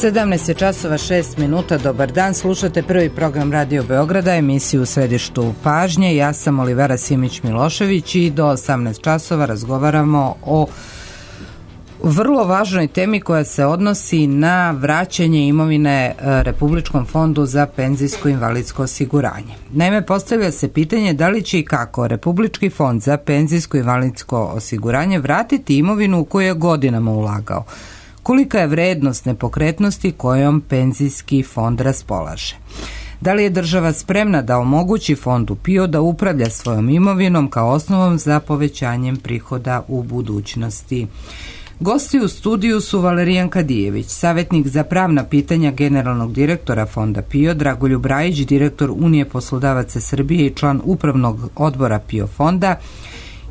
17 je časova 6 minuta, dobar dan, slušate prvi program Radio Beograda, emisiju u središtu pažnje. Ja sam Olivera Simić-Milošević i do 18 časova razgovaramo o vrlo važnoj temi koja se odnosi na vraćanje imovine Republičkom fondu za penzijsko i invalidsko osiguranje. Naime, postavlja se pitanje da li će i kako Republički fond za penzijsko i invalidsko osiguranje vratiti imovinu u koju je godinama ulagao. Kolika je vrednost nepokretnosti kojom penzijski fond raspolaže? Da li je država spremna da omogući fondu PIO da upravlja svojom imovinom kao osnovom za povećanjem prihoda u budućnosti? Gosti u studiju su Valerijan Kadijević, savjetnik za pravna pitanja generalnog direktora fonda PIO, Dragoljub Rajić, direktor Unije poslodavaca Srbije i član upravnog odbora PIO fonda,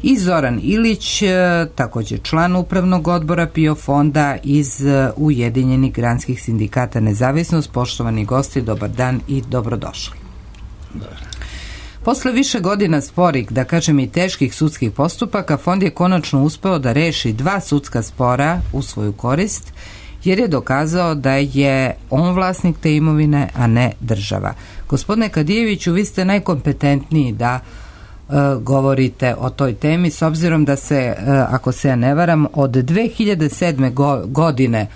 i Zoran Ilić, također član upravnog odbora PIO fonda iz Ujedinjenih granskih sindikata Nezavisnost. Poštovani gosti, dobar dan i dobrodošli. Posle više godina sporih, da kažem i teških sudskih postupaka, fond je konačno uspeo da reši 2 sudska spora u svoju korist, jer je dokazao da je on vlasnik te imovine, a ne država. Gospodine Kadijeviću, vi ste najkompetentniji da govorite o toj temi, s obzirom da se, ako se ja ne varam, od 2007. godine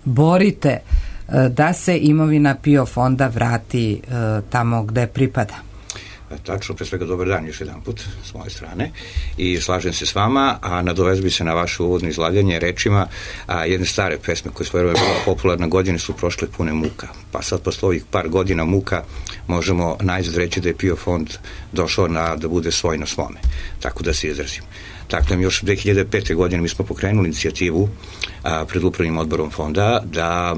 borite da se imovina PIO fonda vrati tamo gde pripada. Tačno, pre svega dobar dan još jedan put s moje strane i slažem se s vama, a nadovezao bi se na vaše uvodno izlaganje rečima jedne stare pesme koje svoje vreme bila popularna, godine su prošle pune muka, pa sad posle ovih par godina muka možemo najzad reći da je PIO fond došao da bude svoj na svome, tako da se izrazim. Dakle, još 2005. godine mi smo pokrenuli inicijativu pred upravnim odborom fonda da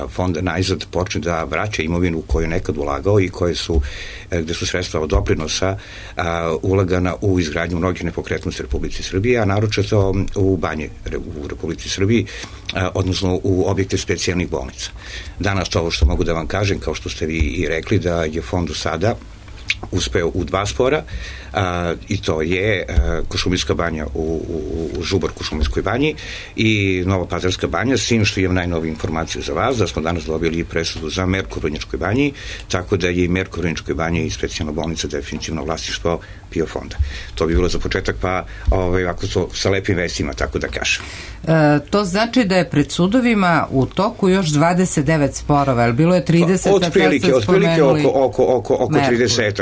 fond najzad počne da vraća imovinu koju je nekad ulagao i gde su sredstva od doprinosa ulagana u izgradnju mnogih nepokretnosti Republici Srbije, a naročito u banje u Republici Srbiji, odnosno u objekte specijalnih bolnica. Danas ovo što mogu da vam kažem, kao što ste vi i rekli, da je fond sada uspeo u 2 spora, i to je Kuršumlijska banja u Žuborku Šumarskoj banji i Nova Pazarska banja, s tim što imam najnoviju informaciju za vas, da smo danas dobili presudu za Merkur u Vrnjačkoj banji, tako da je i Merkur u Vrnjačkoj banji i specijalna bolnica definitivno vlasništvo PIO fonda. To bi bilo za početak, pa ako to sa lepim vestima, tako da kažem. To znači da je pred sudovima u toku još 29 sporova, ali bilo je 30, otprilike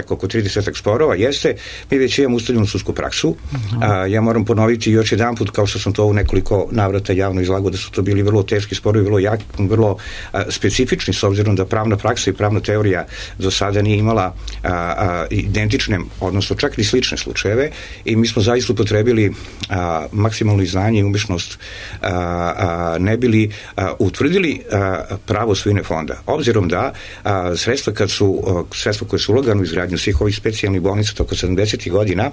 oko 30 sporova, jeste. Mi već imamo ustaljenu sudsku praksu. Ja moram ponoviti još jedan put, kao što sam to u nekoliko navrata javno izlagao, da su to bili vrlo teški sporovi, vrlo specifični, s obzirom da pravna praksa i pravna teorija do sada nije imala identične, odnosno čak ni slične slučajeve, i mi smo zaista upotrebili maksimalno znanje i umešnost ne bili utvrdili pravo svojine fonda. Obzirom da sredstva koje su ulagane u izgradnju svih ovih specijalnih bolnica toko 70. godina,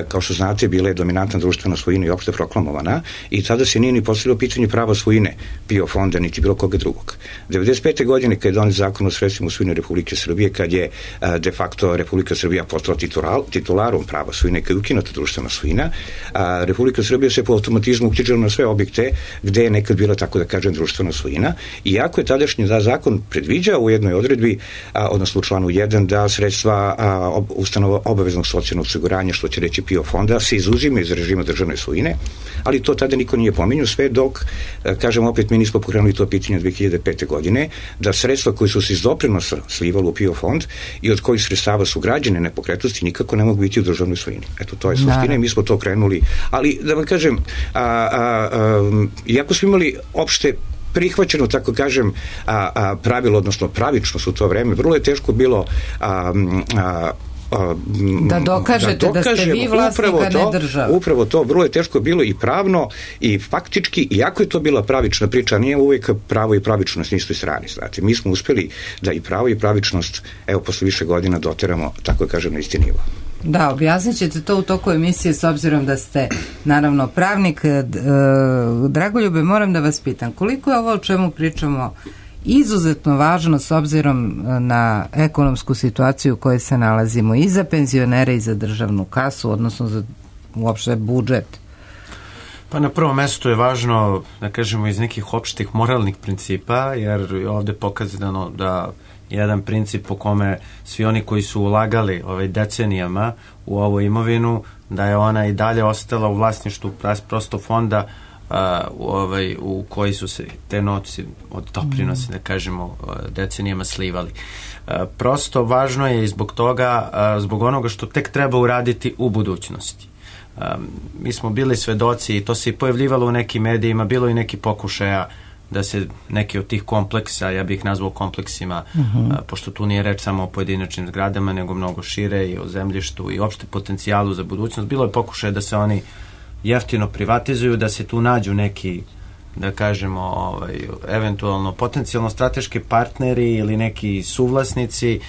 kao što znate, bila je dominantna društvena svojina i opšte proklamovana, i tada se nije ni postavilo pitanje prava svojine PIO fonda, niti bilo koga drugog. 95. godine, kad je donet zakon o sredstvima u svojini Republike Srbije, kad je de facto Republika Srbija postala titularom prava svojine, kad je ukinuta društvena svojina, Republika Srbija se po automatizmu uknjižila na sve objekte gde je nekad bila, tako da kažem, društvena svojina, iako je tadašnji zakon predviđao u jednoj odredbi, odnosno u članu 1, da sredstva ustanova obaveznog socijalnog osiguranja, što će reći PIO fonda, se izuzima iz režima državne svojine, ali to tada niko nije pominjao, sve dok, kažem opet, mi nismo pokrenuli to pitanje 2005. godine, da sredstva koji su se iz doprinosa slivali u PIO fond i od kojih sredstava su građene nepokretnosti nikako ne mogu biti u državnoj svojini. Eto, to je suština i mi smo to krenuli. Ali, da vam kažem, iako smo imali opšte prihvaćeno, tako kažem, pravilo, odnosno pravičnost u to vreme, vrlo je teško bilo da dokažete da ste vi vlasnik, a ne država. Upravo to, vrlo je teško bilo i pravno i faktički, iako je to bila pravična priča, nije uvijek pravo i pravičnost na istoj strani. Znači, mi smo uspeli da i pravo i pravičnost, evo, posle više godina doteramo, tako kažem, na isti nivo. Da, objasnit ćete to u toku emisije, s obzirom da ste naravno pravnik. Dragoljube, moram da vas pitam, koliko je ovo o čemu pričamo izuzetno važno s obzirom na ekonomsku situaciju u kojoj se nalazimo i za penzionere i za državnu kasu, odnosno za uopšte budžet? Pa na prvom mestu je važno, da kažemo, iz nekih opštih moralnih principa, jer ovde je pokazano da jedan princip po kome svi oni koji su ulagali decenijama u ovu imovinu, da je ona i dalje ostala u vlasništvu prosto fonda u koji su se te novci od doprinosa, da kažemo, decenijama slivali. Prosto važno je i zbog toga, zbog onoga što tek treba uraditi u budućnosti. Mi smo bili svedoci i to se i pojavljivalo u nekim medijima, bilo i neki pokušaja da se neki od tih kompleksa, ja bih ih nazvao kompleksima, pošto tu nije reč samo o pojedinačnim zgradama, nego mnogo šire i o zemljištu i opšte potencijalu za budućnost. Bilo je pokušaja da se oni jeftino privatizuju, da se tu nađu neki, da kažemo, eventualno potencijalno strateški partneri ili neki suvlasnici.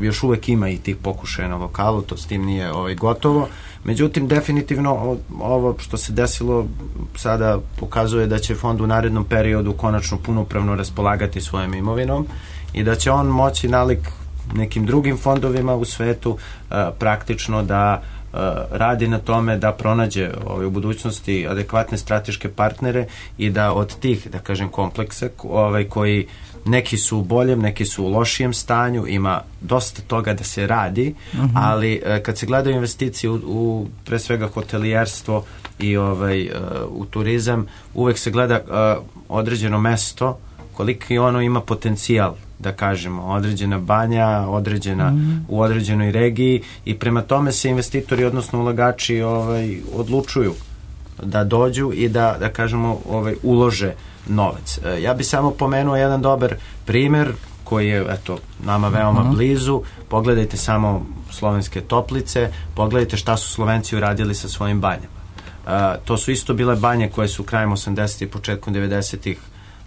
Još uvek ima i tih pokušaja na lokalu, to s tim nije gotovo. Međutim, definitivno ovo što se desilo sada pokazuje da će fond u narednom periodu konačno punopravno raspolagati svojom imovinom i da će on moći nalik nekim drugim fondovima u svetu praktično da radi na tome da pronađe u budućnosti adekvatne strateške partnere i da od tih, da kažem, kompleksa koji neki su u boljem, neki su u lošijem stanju, ima dosta toga da se radi, ali kad se gledaju investicije u pre svega hotelijerstvo i u turizam, uvek se gleda određeno mesto, koliki ono ima potencijal, da kažemo, određena banja, u određenoj regiji, i prema tome se investitori, odnosno ulagači odlučuju da dođu i da kažemo, ulože novac. Ja bi samo pomenuo jedan dobar primer koji je, eto, nama veoma blizu. Pogledajte samo Slovenske Toplice, pogledajte šta su Slovenci uradili sa svojim banjama. To su isto bile banje koje su krajem 80. i početkom 90.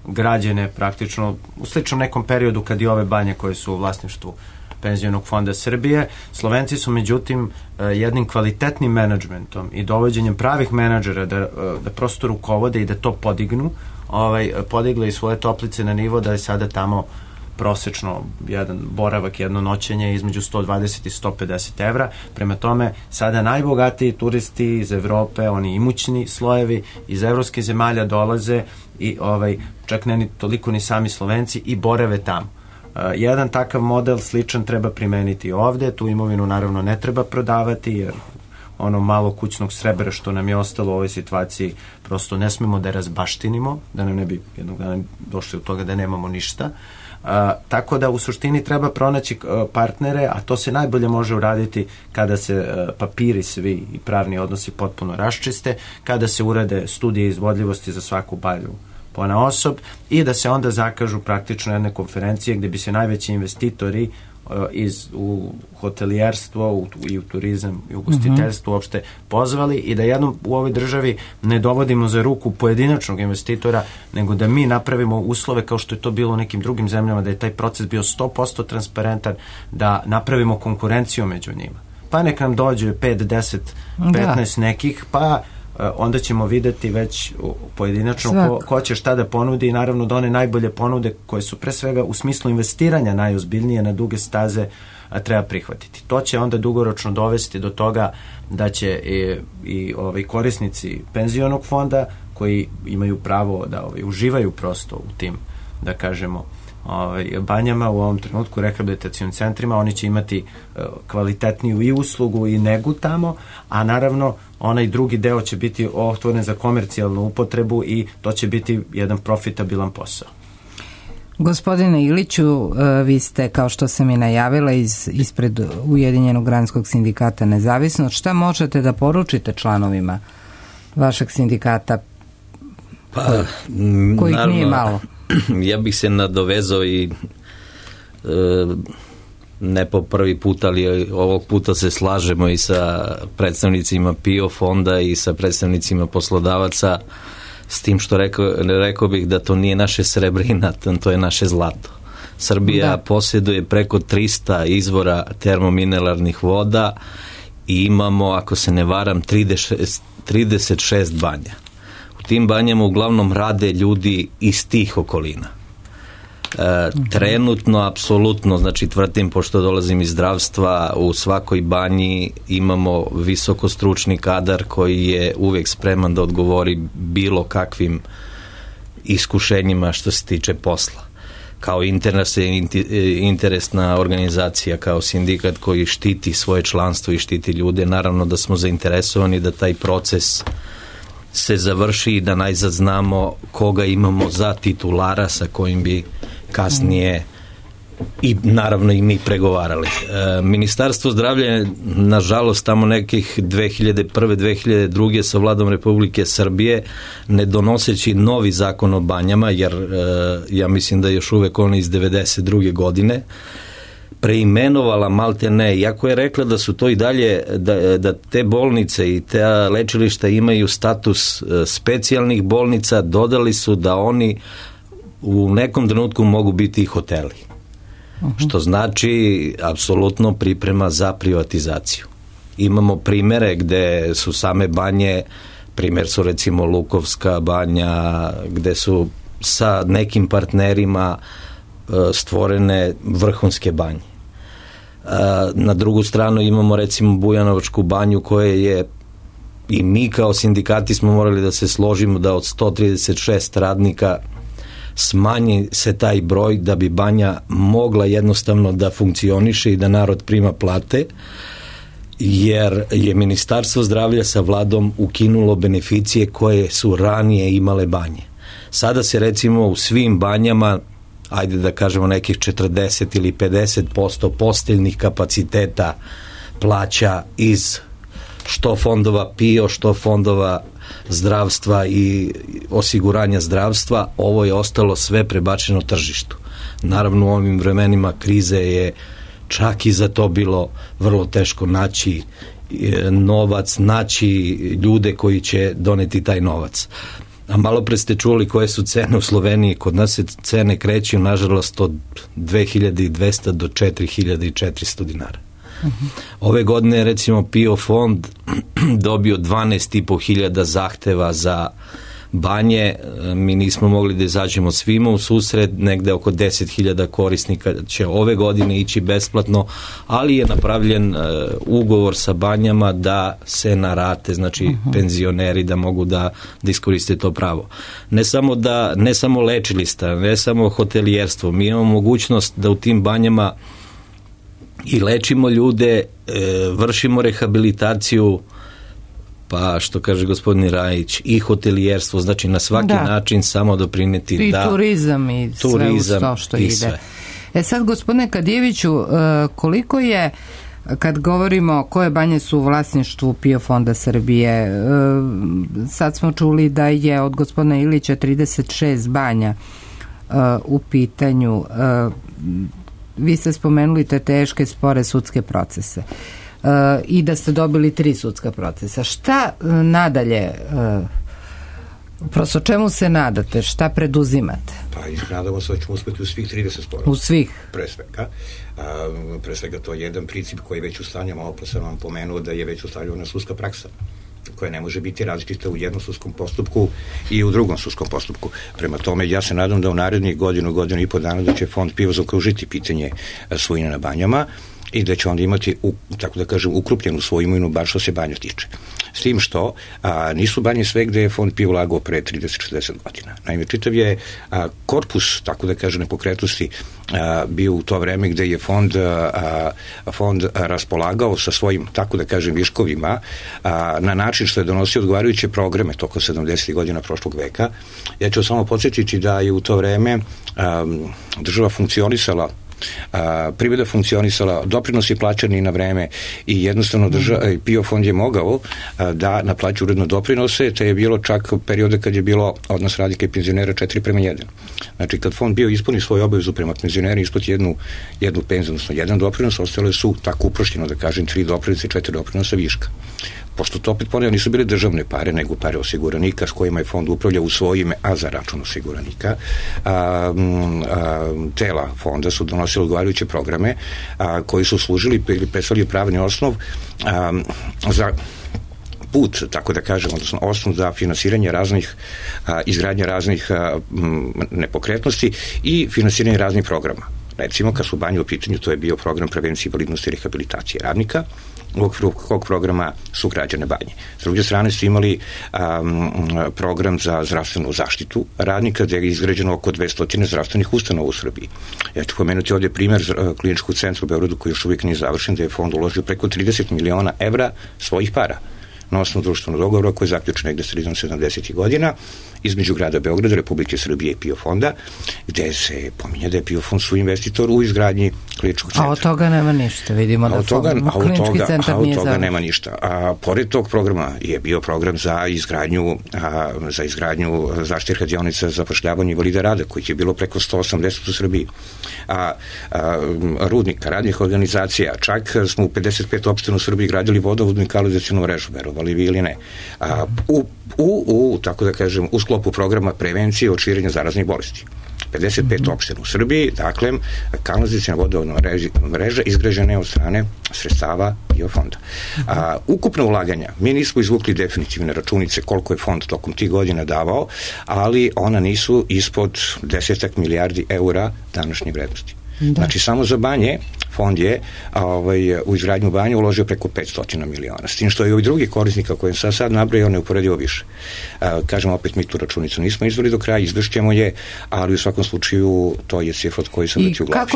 građene praktično u sličnom nekom periodu kad i ove banje koje su u vlasništvu Penzionog fonda Srbije. Slovenci su međutim jednim kvalitetnim menadžmentom i dovođenjem pravih menadžera da prosto rukovode i da to podignu, podigli i svoje toplice na nivo da je sada tamo prosečno jedan boravak, jedno noćenje između 120 i 150 evra. Prema tome, sada najbogatiji turisti iz Evrope, oni imućni slojevi iz evropskih zemalja dolaze i čak ne toliko ni sami Slovenci i borave tamo. Jedan takav model sličan treba primeniti ovde. Tu imovinu naravno ne treba prodavati, jer ono malo kućnog srebra što nam je ostalo u ovoj situaciji prosto ne smemo da razbaštinimo, da nam ne bi jednog dana došli od toga da nemamo ništa. Tako da u suštini treba pronaći partnere, a to se najbolje može uraditi kada se papiri svi i pravni odnosi potpuno raščiste, kada se urade studije izvodljivosti za svaku balju ponaosob i da se onda zakažu praktično jedne konferencije gde bi se najveći investitori u hotelijerstvo i u turizam i u ugostiteljstvo uopšte pozvali i da jednom u ovoj državi ne dovodimo za ruku pojedinačnog investitora, nego da mi napravimo uslove kao što je to bilo u nekim drugim zemljama, da je taj proces bio 100% transparentan, da napravimo konkurenciju među njima. Pa nek nam dođe 5, 10, 15 nekih, pa onda ćemo videti već pojedinačno ko će šta da ponudi i naravno da one najbolje ponude koje su pre svega u smislu investiranja najozbiljnije na duge staze treba prihvatiti. To će onda dugoročno dovesti do toga da će i korisnici penzionog fonda koji imaju pravo da uživaju prosto u tim, da kažemo, banjama u ovom trenutku, rehabilitacijnim centrima, oni će imati kvalitetniju i uslugu i negu tamo, a naravno onaj drugi deo će biti otvoren za komercijalnu upotrebu i to će biti jedan profitabilan posao. Gospodine Iliću, vi ste, kao što sam i najavila, ispred Ujedinjenog granskog sindikata Nezavisnost. Šta možete da poručite članovima vašeg sindikata, kojih nije malo? Ja bih se nadovezao i ne po prvi put, ali ovog puta se slažemo i sa predstavnicima PIO fonda i sa predstavnicima poslodavaca, s tim što rekao bih da to nije naše srebrina, to je naše zlato. Srbija posjeduje preko 300 izvora termomineralnih voda i imamo, ako se ne varam, 36 banja. U tim banjama uglavnom rade ljudi iz tih okolina. Trenutno, apsolutno, znači tvrdim, pošto dolazim iz zdravstva, u svakoj banji imamo visokostručni kadar koji je uvijek spreman da odgovori bilo kakvim iskušenjima što se tiče posla. Kao interesna organizacija, kao sindikat koji štiti svoje članstvo i štiti ljude, naravno da smo zainteresovani da taj proces se završi i da najzad znamo koga imamo za titulara sa kojim bi kasnije i naravno i mi pregovarali. Ministarstvo zdravlja je, nažalost, tamo nekih 2001. 2002. sa vladom Republike Srbije, ne donoseći novi zakon o banjama, jer ja mislim da je još uvek on iz 92. godine, preimenovala maltene, iako je rekla da su to i dalje, da te bolnice i te lečilišta imaju status specijalnih bolnica, dodali su da oni u nekom trenutku mogu biti i hoteli. Što znači apsolutno priprema za privatizaciju. Imamo primere gde su same banje, primer su recimo Lukovska banja, gde su sa nekim partnerima stvorene vrhunske banje. Na drugu stranu imamo recimo Bujanovačku banju koja je, i mi kao sindikati smo morali da se složimo da od 136 radnika smanji se taj broj da bi banja mogla jednostavno da funkcioniše i da narod prima plate, jer je Ministarstvo zdravlja sa vladom ukinulo beneficije koje su ranije imale banje. Sada se recimo u svim banjama, ajde da kažemo nekih 40 ili 50% posteljnih kapaciteta plaća iz što fondova PIO, što fondova zdravstva i osiguranja zdravstva. Ovo je ostalo sve prebačeno tržištu. Naravno, u ovim vremenima krize je čak i za to bilo vrlo teško naći novac, naći ljude koji će doneti taj novac. A malo pre ste čuli koje su cene u Sloveniji. Kod nas se cene kreću, nažalost, od 2200 do 4400 dinara. Ove godine, recimo, PIO fond dobio 12.500 zahteva za banje. Mi nismo mogli da izađemo svima u susret, negde oko 10.000 korisnika će ove godine ići besplatno, ali je napravljen ugovor sa banjama da se na rate, znači penzioneri da mogu da iskoriste to pravo. Ne samo lečilišta, ne samo hotelijerstvo, mi imamo mogućnost da u tim banjama i lečimo ljude, vršimo rehabilitaciju, pa što kaže gospodin Rajić, i hotelijerstvo, znači na svaki način samo doprineti i turizam i sve uz to što ide. Sve. Sad, gospodine Kadijeviću, koliko je, kad govorimo koje banje su u vlasništvu PIO fonda Srbije, sad smo čuli da je od gospodina Ilića 36 banja u pitanju. Vi ste spomenuli te teške, spore sudske procese i da ste dobili 3 sudska procesa. Šta nadalje, prosto čemu se nadate, šta preduzimate? Pa nadamo se da ćemo uspjeti u svih 30 sporova. U svih? Pre svega to je jedan princip koji je već ustavljen, malo pa sam vam pomenuo da je već ustavljena sudska praksa, koja ne može biti različita u jednom sudskom postupku i u drugom sudskom postupku. Prema tome, ja se nadam da u narednih godinu i po dana da će fond PIO zaokružiti pitanje svojine na banjama i da će onda imati, tako da kažem, ukrupljenu svoju imovinu, bar što se banja tiče. S tim što nisu banje sve gde je fond PIO ulagao pre 30-60 godina. Naime, čitav je korpus, tako da kažem, nepokretnosti bio u to vreme gde je fond raspolagao sa svojim, tako da kažem, viškovima na način što je donosio odgovarajuće programe toko 70. godina prošlog veka. Ja ću samo podsjetiti da je u to vreme država funkcionisala, privreda funkcionisala, doprinosi plaćani na vreme i jednostavno PIO fond je mogao da naplaća uredno doprinose, te je bilo čak periode kad je bilo odnos radnika i penzionera 4:1. Znači, kad fond bio ispuni svoju obavezu prema penzionerima, isplati jednu penziju, odnosno jedan doprinos, ostale su tako uprošćeno, da kažem, 3 doprinosa i 4 doprinosa viška. Pošto to opet ponavljam, nisu bile državne pare, nego pare osiguranika s kojima je fond upravljao u svoje ime, a za račun osiguranika. Tela fonda su donosili odgovarajuće programe koji su služili ili predstavljali pravni osnov za put, tako da kažem, odnosno osnov za finansiranje raznih, izgradnje raznih nepokretnosti i finansiranje raznih programa. Recimo, kad su banje u pitanju, to je bio program prevencije invalidnosti i rehabilitacije radnika, u okviru kog programa su građane banje. S druge strane su imali program za zdravstvenu zaštitu radnika, gde je izgrađeno oko 200 zdravstvenih ustanova u Srbiji. Ja ću pomenuti ovdje primjer kliničkog centra u Beogradu koji još uvijek nije završen, gde je fond uložio preko 30 miliona evra svojih para na osnovu društvenog dogovora koji je zaključen negde sredinom 70. godina između grada Beograda, Republike Srbije i PIO fonda, gde se pominje da je PIO fond suinvestitor u izgradnji kliničkog centra. A od toga nema ništa, vidimo da klinički centar nije završen. Od toga nema ništa. A pored tog programa je bio program za izgradnju zaštite radionica za zapošljavanje invalida rada, kojih je bilo preko 180 u Srbiji. Rudnika, radnih organizacija, čak smo u 55 opština u Srbiji gradili vodovodnu i kanalizacionu mrežu, verovali vi ili ne. Tako da kažem, u sklopu programa prevencije od širenja zaraznih bolesti. 55 opština u Srbiji, dakle, kanalizacijona vodovodna mreža izgrađena je od strane sredstava PIO fonda. Ukupna ulaganja, mi nismo izvukli definitivne računice koliko je fond tokom tih godina davao, ali ona nisu ispod 10 milijardi eura današnje vrednosti. Da. Znači, samo za banje fond je u izgradnju banje uložio preko 500 miliona. S tim što je ovih drugih korisnika koje sam sad nabrojao neuporedivo više. Kažem, opet mi tu računicu nismo izveli do kraja, izvršćemo je, ali u svakom slučaju to je cifra od koje sam već u glavi.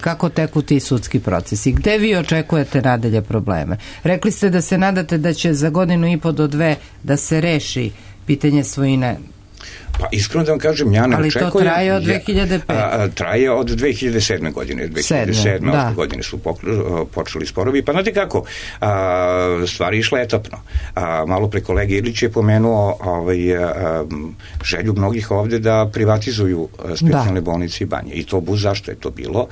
Kako teku ti sudski procesi? Gde vi očekujete nadalje probleme? Rekli ste da se nadate da će za 1.5 do 2 da se reši pitanje svojine. Pa iskreno da vam kažem, ja ne očekujem. Ali to traje od 2005. Traje od 2007. godine. 2007. godine su počeli sporovi. Pa znate kako, stvari išla etapno. Malo pre kolege Ilić je pomenuo želju mnogih ovde da privatizuju specijalne bolnice i banje. I to zašto je to bilo.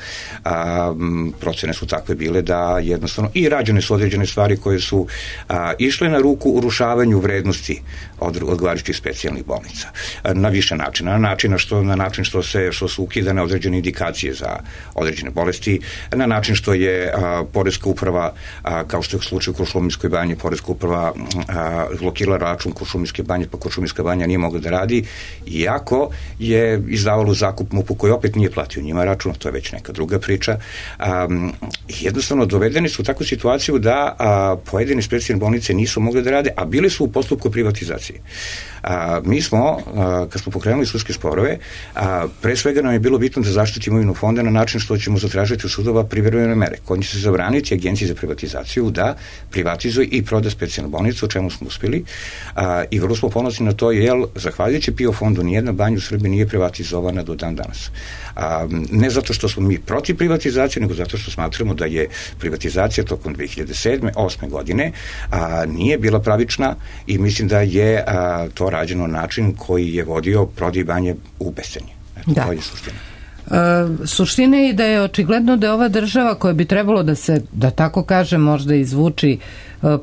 Procene su takve bile da jednostavno i rađene su određene stvari koje su išle na ruku urušavanju vrednosti odgovarajućih specijalnih bolnica. Na više načina. Na način što su ukidane određene indikacije za određene bolesti, na način što je poreska uprava, kao što je u slučaju Kuršumlijskoj banji, poreska uprava blokirala račun Kuršumlijske banje, pa Kuršumlijska banja nije mogla da radi, iako je izdavalo zakup MUP-u koji opet nije platio njima račun, to je već neka druga priča. Jednostavno dovedeni su u takvu situaciju da pojedine specijalne bolnice nisu mogle da rade, a bili su u postupku privatizacije. Mi smo, kad smo pokrenuli sudske sporove, pre svega nam je bilo bitno da zaštitimo imovinu fonda na način što ćemo zatražiti u sudova privremene mere, kojim će se zabraniti Agenciji za privatizaciju da privatizuje i proda specijalnu bolnicu, o čemu smo uspeli, i vrlo smo ponosni na to, jer zahvaljujući PIO fondu nijedna banja u Srbiji nije privatizovana do dan danas. Ne zato što smo mi protiv privatizacije, nego zato što smatramo da je privatizacija tokom 2007. 8. godine nije bila pravična i mislim da je to rađeno na način koji je vodio prodaj banje u bescenje. Da. To je suština. Suština je da je očigledno da je ova država koja bi trebalo da se, da tako kažem, možda izvuči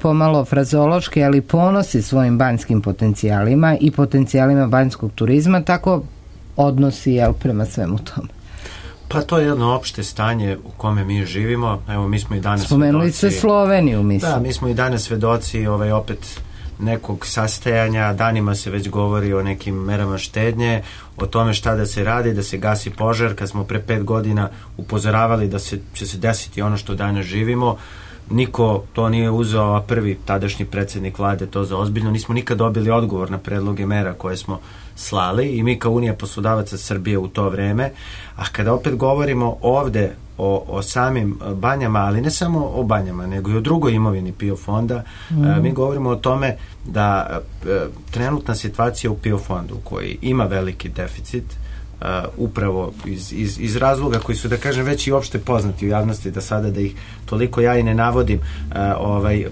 pomalo frazološki, ali ponosi svojim banjskim potencijalima i potencijalima banjskog turizma, tako odnosi prema svemu tome. Pa to je jedno opšte stanje u kome mi živimo. Evo, mi smo i danas spomenuli ste Sloveniju, mislim. Da, mi smo i danas svedoci opet nekog sastajanja, danima se već govori o nekim merama štednje, o tome šta da se radi, da se gasi požar, kad smo pre 5 godina upozoravali da će se desiti ono što danas živimo. Niko to nije uzeo, a prvi tadašnji predsjednik vlade to za ozbiljno. Nismo nikad dobili odgovor na predloge mera koje smo slali i mi kao Unija poslodavaca Srbije u to vreme. A kada opet govorimo ovde o samim banjama, ali ne samo o banjama, nego i o drugoj imovini PIO fonda, mi govorimo o tome da trenutna situacija u PIO fondu koji ima veliki deficit, upravo iz razloga koji su, da kažem, već i opšte poznati u javnosti, da sada da ih toliko ja i ne navodim.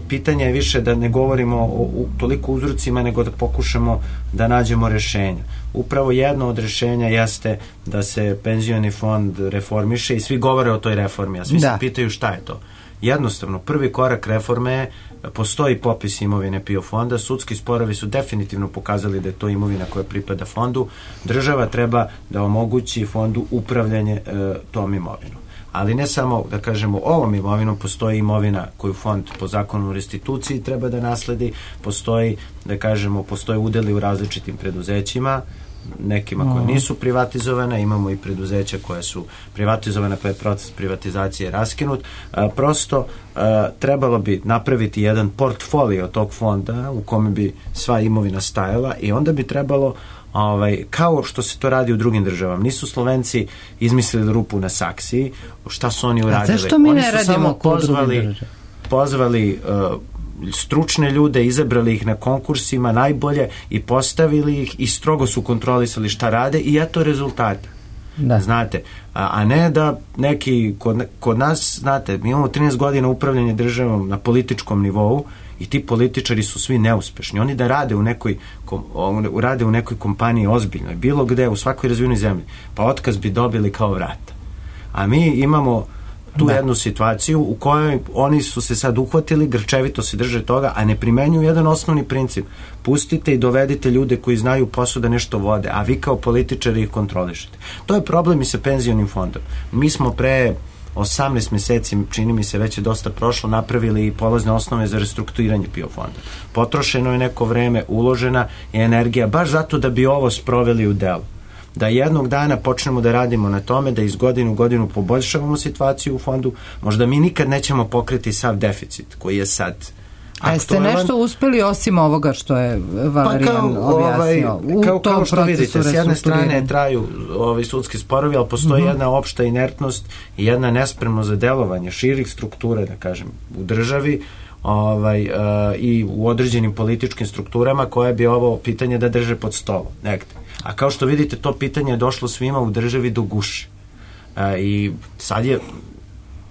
Pitanje je više da ne govorimo o toliko uzrocima, nego da pokušamo da nađemo rešenja. Upravo jedno od rešenja jeste da se penzioni fond reformiše i svi govore o toj reformi, a svi se pitaju šta je to. Jednostavno, prvi korak reforme je, postoji popis imovine PIO fonda, sudski sporovi su definitivno pokazali da je to imovina koja pripada fondu, država treba da omogući fondu upravljanje tom imovinom. ali ne samo, da kažemo, ovom imovinom, postoji imovina koju fond po zakonu o restituciji treba da nasledi, postoji, da kažemo, postoje udeli u različitim preduzećima, nekima koje nisu privatizovane, imamo i preduzeća koje su privatizovane, pa je proces privatizacije raskinut. Prosto trebalo bi napraviti jedan portfolio tog fonda u kome bi sva imovina stajala i onda bi trebalo kao što se to radi u drugim državama. Nisu Slovenci izmislili rupu na saksiji, šta su oni uradili? Zašto mi ne radimo samo pozvali stručne ljude, izabrali ih na konkursima najbolje i postavili ih i strogo su kontrolisali šta rade i eto rezultata. Da. Znate, a ne da neki kod nas, znate, mi imamo 13 godina upravljanja državom na političkom nivou i ti političari su svi neuspešni. Oni da rade u nekoj kompaniji ozbiljnoj, bilo gde, u svakoj razvijenoj zemlji, pa otkaz bi dobili kao vrata. A mi imamo tu jednu situaciju u kojoj oni su se sad uhvatili, grčevito se drže toga, a ne primenjuju jedan osnovni princip. Pustite i dovedite ljude koji znaju posao da nešto vode, a vi kao političari ih kontrolišete. To je problem i sa penzionim fondom. Mi smo pre 18 meseci, čini mi se već je dosta prošlo, napravili i polazne osnove za restrukturiranje PIO fonda. Potrošeno je neko vreme, uložena je energija, baš zato da bi ovo sproveli u delu. Da jednog dana počnemo da radimo na tome, da iz godine u godinu poboljšavamo situaciju u fondu, možda mi nikad nećemo pokriti sav deficit koji je sad aktualan. A jeste nešto uspeli osim ovoga što je Valerijan objasnio? Kao što vidite, s jedne strane traju sudski sporovi, ali postoji jedna opšta inertnost i jedna nespremnost za delovanje širih struktura, da kažem, u državi i u određenim političkim strukturama koje bi ovo pitanje da drže pod stolom negde. A kao što vidite, to pitanje je došlo svima u državi do guše. I sad je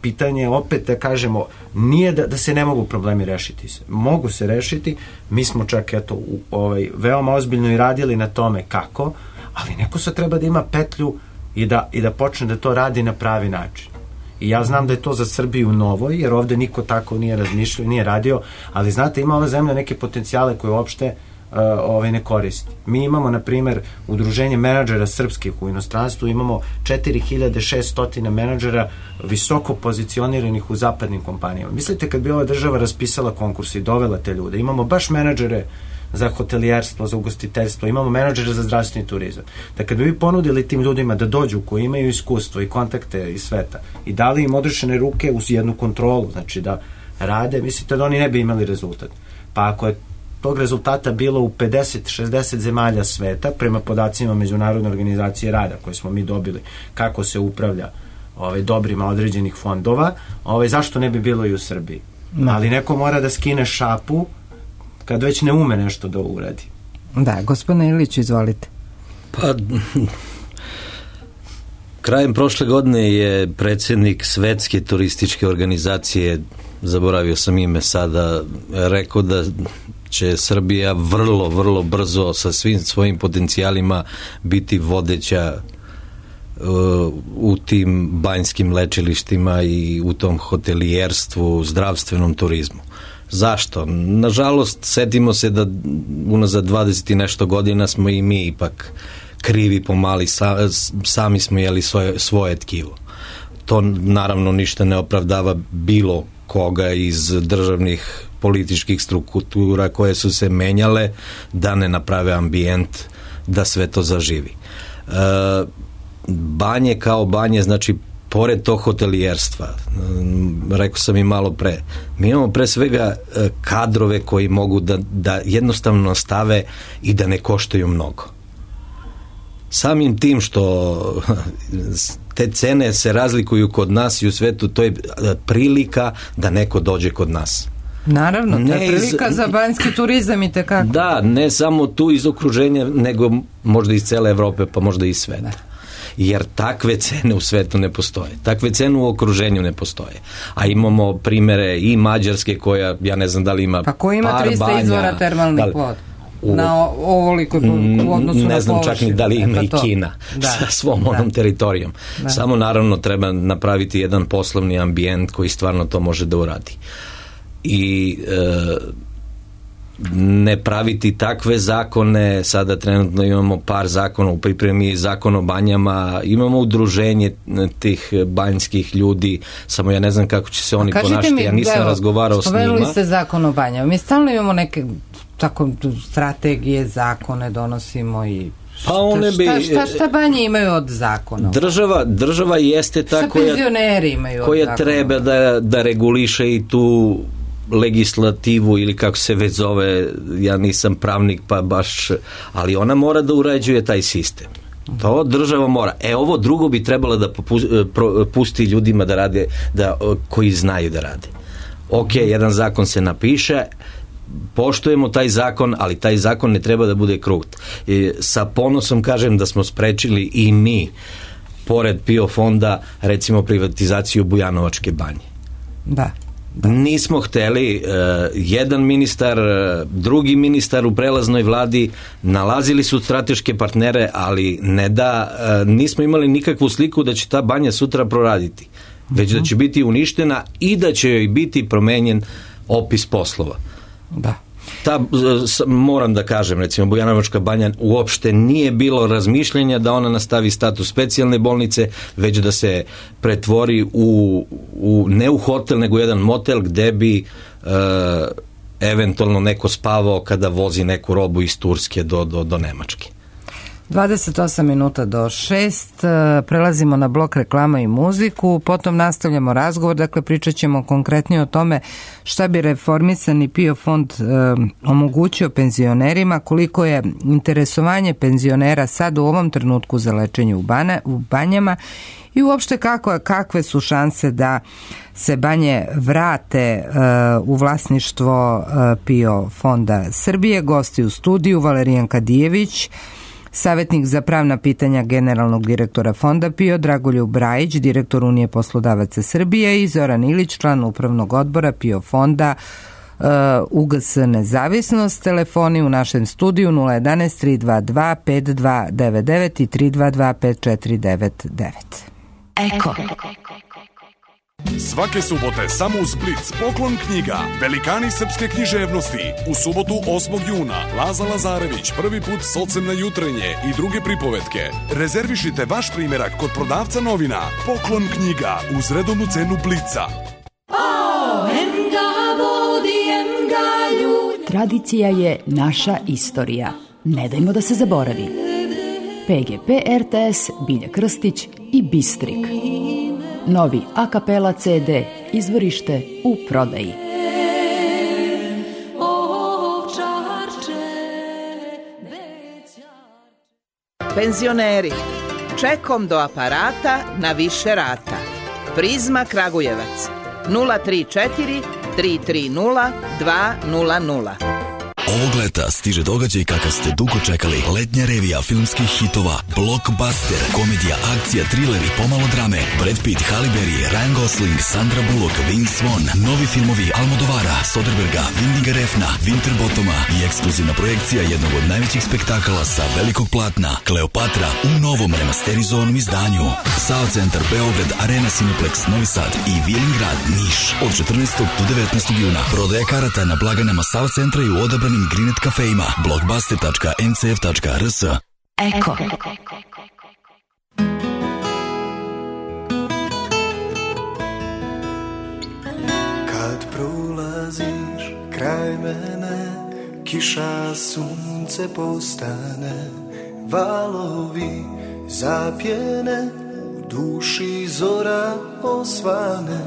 pitanje, opet da kažemo, nije da se ne mogu problemi rešiti. Mogu se rešiti, mi smo čak veoma ozbiljno i radili na tome kako, ali neko sad treba da ima petlju i da počne da to radi na pravi način. I ja znam da je to za Srbiju novo, jer ovde niko tako nije razmišljao, nije radio, ali znate, ima ova zemlja neke potencijale koje uopšte ne koristi. Mi imamo, na primer, udruženje menadžera srpskih u inostranstvu, imamo 4600 menadžera visoko pozicioniranih u zapadnim kompanijama. Mislite kad bi ova država raspisala konkurs i dovela te ljude, imamo baš menadžere za hotelijerstvo, za ugostiteljstvo, imamo menadžere za zdravstveni turizam. Da kad bi vi ponudili tim ljudima da dođu koji imaju iskustvo i kontakte iz sveta i dali im odrešene ruke uz jednu kontrolu, znači da rade, mislite da oni ne bi imali rezultat. Pa ako je tog rezultata bilo u 50-60 zemalja sveta, prema podacima Međunarodne organizacije rada koje smo mi dobili, kako se upravlja dobrima određenih fondova, zašto ne bi bilo i u Srbiji? Ali neko mora da skine šapu kad već ne ume nešto da uradi. Da, gospodine Ilić, izvolite. Pa, krajem prošle godine je predsjednik Svetske turističke organizacije, zaboravio sam ime sada, rekao da će Srbija vrlo, vrlo brzo sa svim svojim potencijalima biti vodeća u tim banjskim lečilištima i u tom hotelijerstvu, zdravstvenom turizmu. Zašto? Nažalost, setimo se da unazad 20 i nešto godina smo i mi ipak krivi pomali, sami smo jeli svoje tkivo. To naravno ništa ne opravdava bilo koga iz državnih političkih struktura koje su se menjale da ne naprave ambijent da sve to zaživi. Banje kao banje, znači pored tog hotelijerstva, rekao sam i malo pre, mi imamo pre svega kadrove koji mogu da jednostavno stave i da ne koštaju mnogo. Samim tim što te cene se razlikuju kod nas i u svetu, to je prilika da neko dođe kod nas. Naravno, to je prilika za banjski turizam i tekako. Da, ne samo tu iz okruženja, nego možda iz cele Evrope, pa možda i iz sveta. Jer takve cene u svetu ne postoje. Takve cene u okruženju ne postoje. A imamo primere i Mađarske koja, ja ne znam da li ima pa ko ima 300 izvora termalnih voda? Na ovoliko u odnosu na ne znam čak ni da li ima i Kina sa svom onom teritorijom. Samo naravno treba napraviti jedan poslovni ambijent koji stvarno to može da uradi. I ne praviti takve zakone. Sada trenutno imamo par zakona u pripremi, zakon o banjama, imamo udruženje tih banjskih ljudi, samo ja ne znam kako će se oni ponašati, ja nisam razgovarao s njima. Spomenuli ste zakon o banjama, mi stalno imamo neke tako strategije, zakone donosimo i šta banje imaju od zakona? Država jeste ta koja treba da reguliše i tu legislativu ili kako se već zove, ja nisam pravnik pa baš, ali ona mora da uređuje taj sistem. To država mora. Ovo drugo bi trebalo da pusti ljudima da rade, koji znaju da rade. Ok, jedan zakon se napiše, poštujemo taj zakon, ali taj zakon ne treba da bude krut. Sa ponosom kažem da smo sprečili i mi, pored PIO fonda, recimo privatizaciju Bujanovačke banje. Da. Nismo hteli, jedan ministar, drugi ministar u prelaznoj vladi nalazili su strateške partnere, ali nismo imali nikakvu sliku da će ta banja sutra proraditi, već da će biti uništena i da će joj biti promenjen opis poslova. Da. Moram da kažem, recimo Bujanovačka banja uopšte nije bilo razmišljanja da ona nastavi status specijalne bolnice, već da se pretvori ne u hotel, nego jedan motel gde bi eventualno neko spavao kada vozi neku robu iz Turske do Nemačke. 28 minuta do 6, prelazimo na blok reklama i muziku, potom nastavljamo razgovor, dakle pričat ćemo konkretnije o tome šta bi reformisani PIO fond omogućio penzionerima, koliko je interesovanje penzionera sad u ovom trenutku za lečenje u banjama i uopšte kakve su šanse da se banje vrate u vlasništvo PIO fonda Srbije. Gosti u studiju Valerijan Kadijević, savjetnik za pravna pitanja generalnog direktora fonda PIO, Dragoljub Brajić, direktor Unije poslodavaca Srbije i Zoran Ilić, član upravnog odbora PIO fonda UGS Nezavisnost. Telefoni u našem studiju 011 322 5299 i 322 5499. Eko. Svake subote samo uz Blic poklon knjiga Velikani srpske književnosti. U subotu 8. juna Laza Lazarević, prvi put Socem na jutrenje i druge pripovetke. Rezervišite vaš primjerak kod prodavca novina. Poklon knjiga uz redovnu cenu Blica. Tradicija je naša istorija. Ne dajmo da se zaboravi. PGP RTS, Bilja Krstić i Bistrik. Novi a kapela CD, izvorište u prodaji. Penzioneri, čekom do aparata na više rata. Prizma Kragujevac 034 330 200. Ovog leta stiže događaj kakav ste dugo čekali. Letnja revija filmskih hitova, blockbuster, komedija, akcija, thriller i pomalo drame. Brad Pitt, Halle Berry, Ryan Gosling, Sandra Bullock, Vince Vaughn, novi filmovi Almodovara, Soderberga, Windiga Refna, Winterbottoma i ekskluzivna projekcija jednog od najvećih spektakala sa velikog platna, Kleopatra, u novom remasterizovanom izdanju. SAO Centar Beograd, Arena Cineplex Novi Sad i Vilingrad Niš od 14. do 19. juna. Prodaja karata na blagajnama SAO Centra i u odabranim Grinet kafejima, blockbuster.ncf.rs. Eko. Kad prolaziš kraj mene, kiša, sunce postane, valovi zapjene, u duši zora osvane,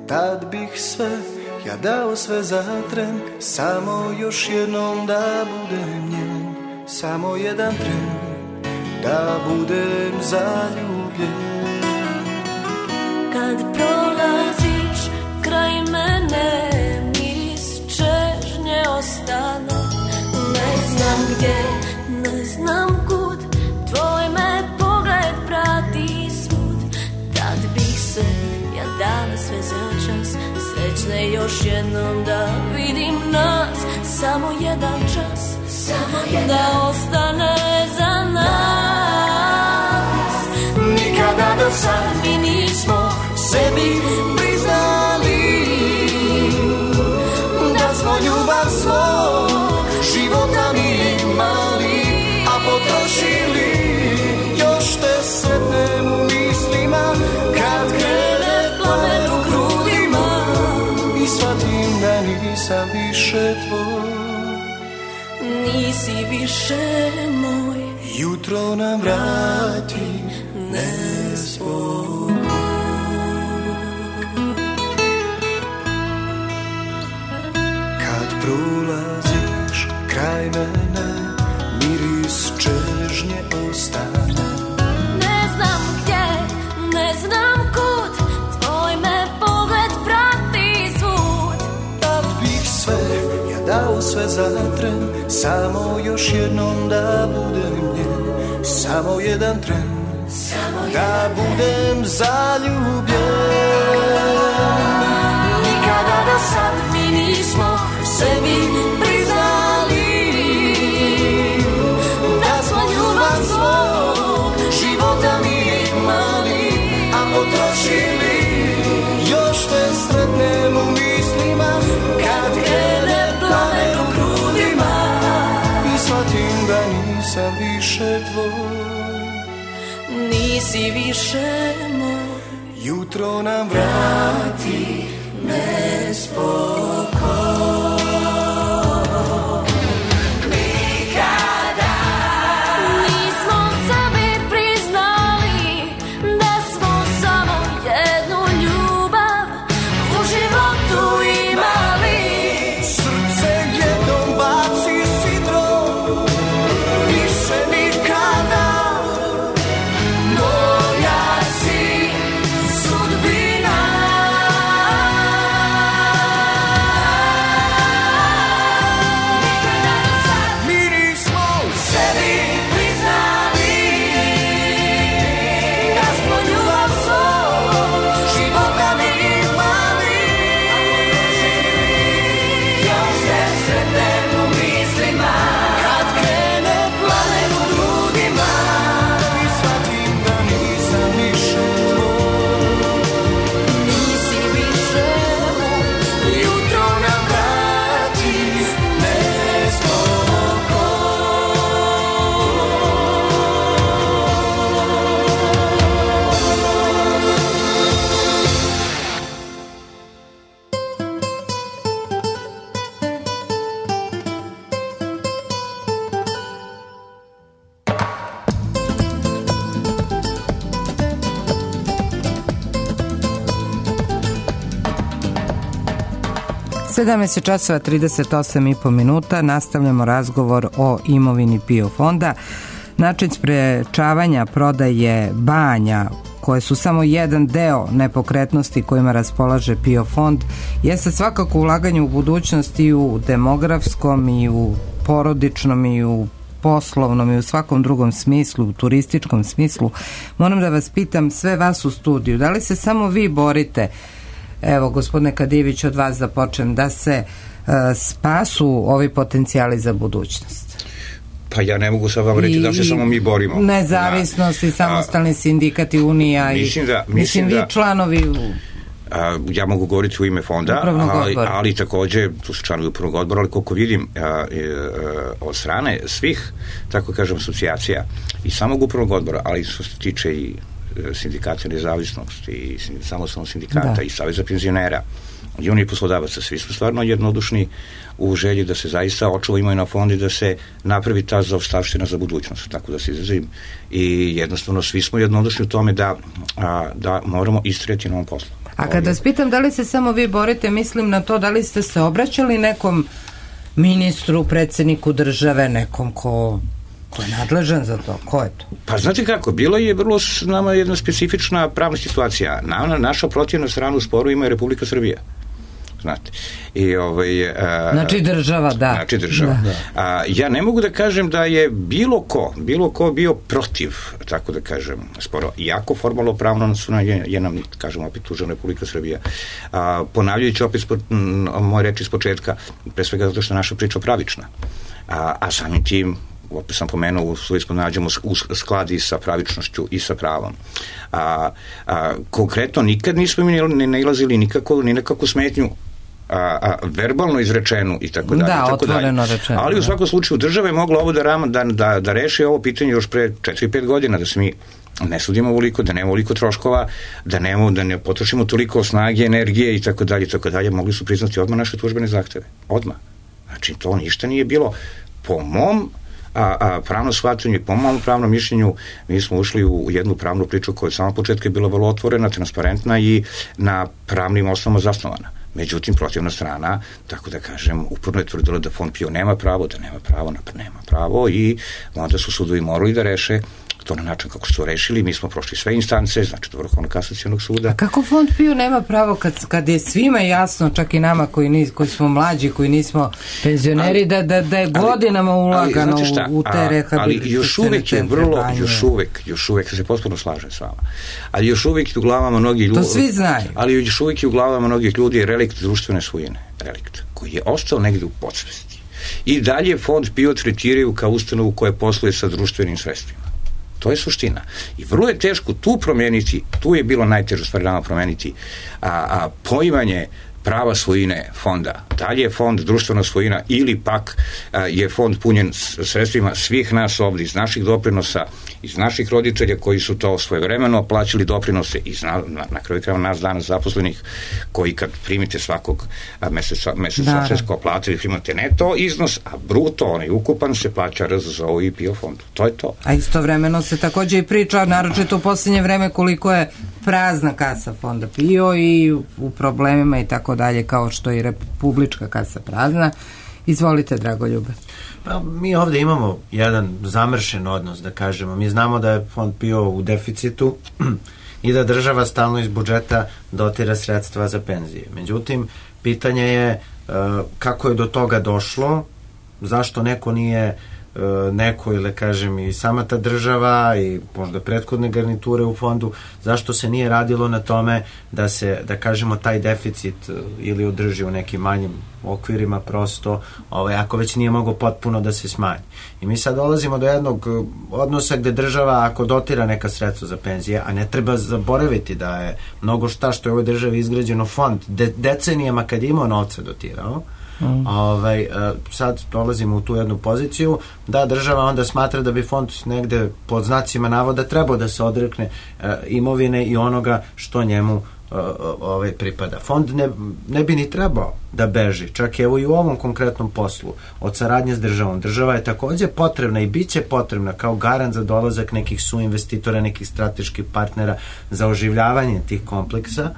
tad bih sve ja dao sve za tren, samo još jednom da budem njen, samo jedan tren, da budem zaljubljen. Kad prolaziš kraj mene, miris čežnje ostane, ne znam gdje, ne znam kud, tvoj me pogled prati svud, tad bih se ja dala sve za čas, srećne još jednom da vidim nas, samo jedan čas, da ostane za nas. Nikada do sad mi nismo sebi priznali da smo ljubav svoj potrošili, još te sretnem u mislima, kad krene plamen u grudima i shvatim da nisam više tvoj. Nisi više moj, jutro nam vrati nespokoj. Kad prolaziš kraj mene, miris čežnje ostane. Ne znam gdje, ne znam kud, tvoj me pogled prati svud. Da bih sve, ja dao sve za tren, samo još jednom da budem njen, samo jedan tren, da budem zaljubljen. Nikada do sad mi nismo sebi priznali da smo ljubav svog života mi imali, a potrošili, još te sretnem u mislima, kad krene plamen u grudima i shvatim da nisam više tvoj. Nisi više moj, jutro nam vrati nespokoj. Nikada nismo sebi priznali da smo samo jednu ljubav u životu imali. Srce jednom baci sidro, više nikada. Moja si sudbina. Sedamnaest časova 38,5 minuta. Nastavljamo razgovor o imovini PIO fonda. Način sprečavanja prodaje banja, koje su samo jedan deo nepokretnosti kojima raspolaže PIO fond, jeste svakako ulaganje u budućnost i u demografskom i u porodičnom i u poslovnom i u svakom drugom smislu, u turističkom smislu. Moram da vas pitam, sve vas u studiju, da li se samo vi borite, evo gospodine Kadijević, od vas da počnem, da se spasu ovi potencijali za budućnost? Pa ja ne mogu sad vam reći da se samo mi borimo. Nezavisnost i samostalni sindikat i unija mislim vi članovi ja mogu govoriti u ime fonda, ali takođe tu su članovi upravnog odbora, ali koliko vidim od strane svih, tako kažem, asocijacija i samog upravnog odbora, ali što se tiče i sindikata nezavisnosti i samostalnog sindikata i saveza penzionera i oni poslodavaca, svi su stvarno jednodušni u želji da se zaista očuva imovina fonda i da se napravi ta zaostavština za budućnost, tako da se izrazim, i jednostavno svi smo jednodušni u tome da moramo istrajati na ovom poslu. A kada vas pitam da li se samo vi borite, mislim na to da li ste se obraćali nekom ministru, predsjedniku države, nekom ko je nadležan za to? Ko je to? Pa znate kako, bilo je vrlo s nama jedna specifična pravna situacija. Naša protivna strana u sporu ima je Republika Srbija. Znate. Znači država, da. Znači država. Ja ne mogu da kažem da je bilo ko bio protiv, tako da kažem, sporo. Iako formalno pravno je nam, kažem, opet tužena Republika Srbija. Ponavljajući opet moje reči iz početka, pre svega zato što je naša priča pravična. A samim tim, opet sam pomenuo, u svojstvu nađemo u skladi sa pravičnošću i sa pravom. Konkretno, nikad nismo ni nailazili ni nekakvu smetnju verbalno izrečenu i tako dalje. Da, otvoreno rečeno. Ali u svakom slučaju država je mogla ovo da reši ovo pitanje još pre 4-5 godina, da se mi ne sudimo ovoliko, da nema ovoliko troškova, da ne potrošimo toliko snage, energije i tako dalje, mogli su priznati odmah naše tužbene zahteve. Odmah. Znači, to ništa nije bilo. Po mom pravno shvatanju i po mom pravnom mišljenju mi smo ušli u jednu pravnu priču koja od samog početka je bila vrlo otvorena, transparentna i na pravnim osnovama zasnovana. Međutim, protivna strana, tako da kažem, uporno je tvrdila da Fond PIO nema pravo i onda su sudovi morali da reše to na način kako su to rešili. Mi smo prošli sve instance, znači do Vrhovnog kasacionog suda. A kako Fond PIO nema pravo kad je svima jasno, čak i nama koji smo mlađi, koji nismo penzioneri, da je godinama ulagano u te rehabilitacione ali još uvek je vrlo, još uvek se potpuno slažem s vama, ali još uvek u glavama mnogi ljudi, to svi znaju, ali još uvek je u glavama mnogih ljudi je relikt društvene svojine, relikt koji je ostao negde u podsvesti. I dalje Fond PIO tretiraju kao ustanovu koja posluje sa društvenim sredstvima. To je suština. I vrlo je teško tu promeniti, tu je bilo najteže stvari nama promeniti poimanje prava svojine fonda. Da li je fond društvena svojina ili pak je fond punjen sredstvima svih nas ovdje, iz naših doprinosa, iz naših roditelja koji su to svojevremeno plaćali doprinose, i na kraju krajeva nas danas zaposlenih koji kad primite svakog meseca sve plate, vi primate neto iznos, a bruto, onaj ukupan, se plaća RZZO i PIO fondu. To je to. A istovremeno se takođe i priča, naročito u posljednje vreme, koliko je prazna kasa fonda PIO i u problemima i tako dalje, kao što je i republička kasa prazna. Izvolite, Dragoljube. Pa, mi ovde imamo jedan zamršen odnos, da kažemo. Mi znamo da je Fond PIO u deficitu i da država stalno iz budžeta dotira sredstva za penzije. Međutim, pitanje je kako je do toga došlo, zašto neko nije ili kažem i sama ta država i možda prethodne garniture u fondu, zašto se nije radilo na tome da se, da kažemo, taj deficit ili održi u nekim manjim okvirima prosto, ako već nije mogo potpuno da se smanji. I mi sad dolazimo do jednog odnosa gde država, ako dotira neka sredstva za penzije, a ne treba zaboraviti da je mnogo šta što je u ovoj državi izgrađeno fond decenijama kad je imao novca dotirao, sad dolazimo u tu jednu poziciju da država onda smatra da bi fond negde pod znacima navoda trebao da se odrekne imovine i onoga što njemu pripada. Fond ne bi ni trebao da beži, čak evo i u ovom konkretnom poslu od saradnje s državom. Država je takođe potrebna i bit će potrebna kao garant za dolazak nekih suinvestitora, nekih strateških partnera za oživljavanje tih kompleksa,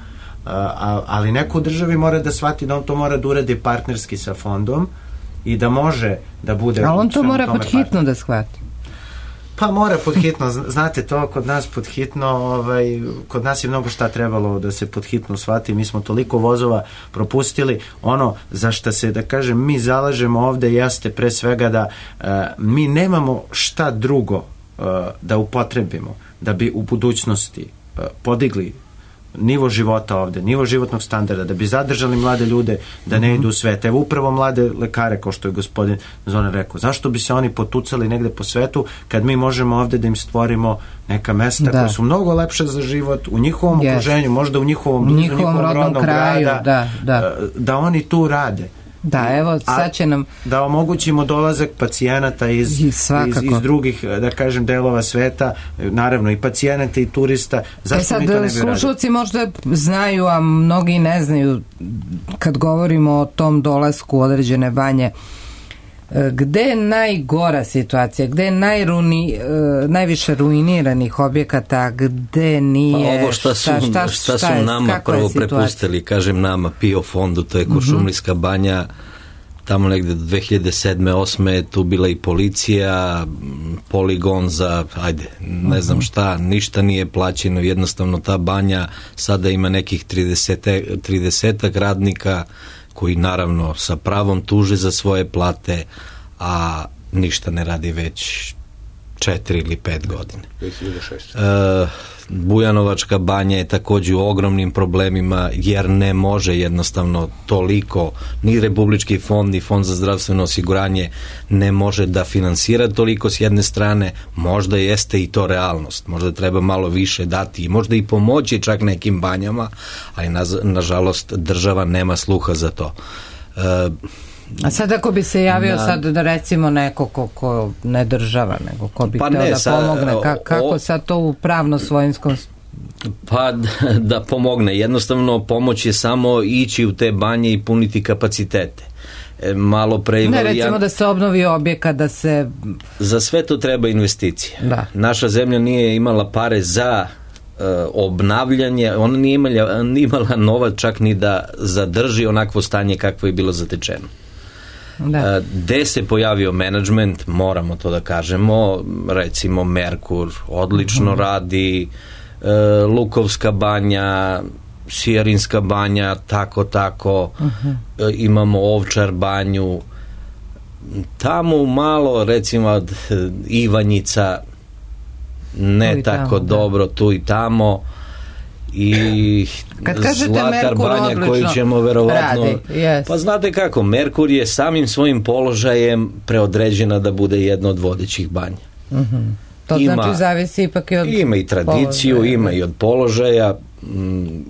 ali neko u državi mora da shvati da on to mora da uradi partnerski sa fondom i da može da bude... Ali on to mora pod hitno da shvati. Pa mora pod hitno, znate to, kod nas pod hitno, kod nas je mnogo šta trebalo da se pod hitno shvati, mi smo toliko vozova propustili, ono za šta se, da kažem, mi zalažemo ovde jeste pre svega da mi nemamo šta drugo da upotrebimo da bi u budućnosti podigli nivo života ovde, nivo životnog standarda, da bi zadržali mlade ljude da ne idu u svet. Evo upravo mlade lekare, kao što je gospodin Zoran rekao. Zašto bi se oni potucali negde po svetu kad mi možemo ovde da im stvorimo neka mesta koja su mnogo lepše za život u njihovom okruženju, možda u njihovom rodnom kraju, da oni tu rade. Da, evo, sad će nam... Da omogućimo dolazak pacijenata iz drugih, da kažem, delova sveta, naravno i pacijenata i turista. Zašto mi to ne bi radili? Slušalci možda znaju, a mnogi ne znaju, kad govorimo o tom dolasku određene banje, gde je najgora situacija, gde je najviše ruiniranih objekata, gde nije... Pa ovo šta su nama prvo prepustili, kažem nama, PIO fondu, to je Kuršumlijska banja, tamo negde do 2007. 2008. je tu bila i policija, poligon za, ne znam šta, ništa nije plaćeno, jednostavno ta banja sada ima nekih 30 radnika koji naravno sa pravom tuže za svoje plate, a ništa ne radi već 4 ili 5 godine. Bujanovačka banja je takođe u ogromnim problemima jer ne može jednostavno toliko, ni Republički fond ni Fond za zdravstveno osiguranje ne može da finansira toliko s jedne strane, možda jeste i to realnost, možda treba malo više dati i možda i pomoći čak nekim banjama, ali nažalost država nema sluha za to. A sad ako bi se javio sad da recimo neko ko ne država, nego ko bi hteo da pomogne, kako sad to u pravno-svojinskom... Pa da pomogne, jednostavno pomoć je samo ići u te banje i puniti kapacitete. Malo pre... Ne, recimo da se obnovi objekat, da se... Za sve to treba investicije. Da. Naša zemlja nije imala pare za obnavljanje, ona nije imala novac čak ni da zadrži onakvo stanje kakvo je bilo zatečeno. Da. Gde se pojavio menadžment, moramo to da kažemo, recimo Merkur odlično radi, Lukovska banja, Sijarinska banja, tako, imamo Ovčar banju, tamo malo recimo od Ivanjica ne tako dobro, tu i tamo, i Zlatar banja koju ćemo verovatno pa znate kako, Merkur je samim svojim položajem preodređena da bude jedna od vodećih banja. To znači zavisi ipak i od ima i tradiciju, položaja. Ima i od položaja,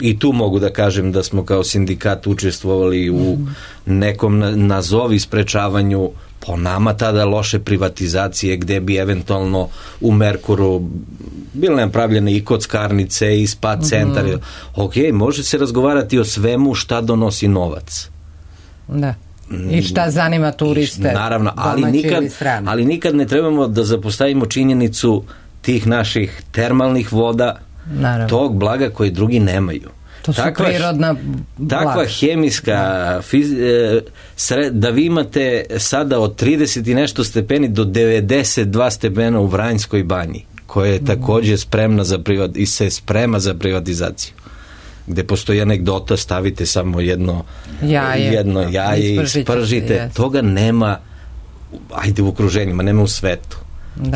i tu mogu da kažem da smo kao sindikat učestvovali u nekom nazovi sprečavanju po nama tada loše privatizacije, gde bi eventualno u Merkuru bile napravljene i kockarnice i spa centar. Ok, može se razgovarati o svemu šta donosi novac. Da. I šta zanima turiste. Naravno, ali nikad ne trebamo da zapostavimo činjenicu tih naših termalnih voda, tog blaga koje drugi nemaju. To su prirodna blaga. Takva hemijska da vi imate sada od 30 i nešto stepeni do 92 stepena u Vranjskoj banji, koja je takođe spremna za privatizaciju, gde postoji anegdota, stavite samo jedno jaje i spržite, toga nema u okruženjima, nema u svetu.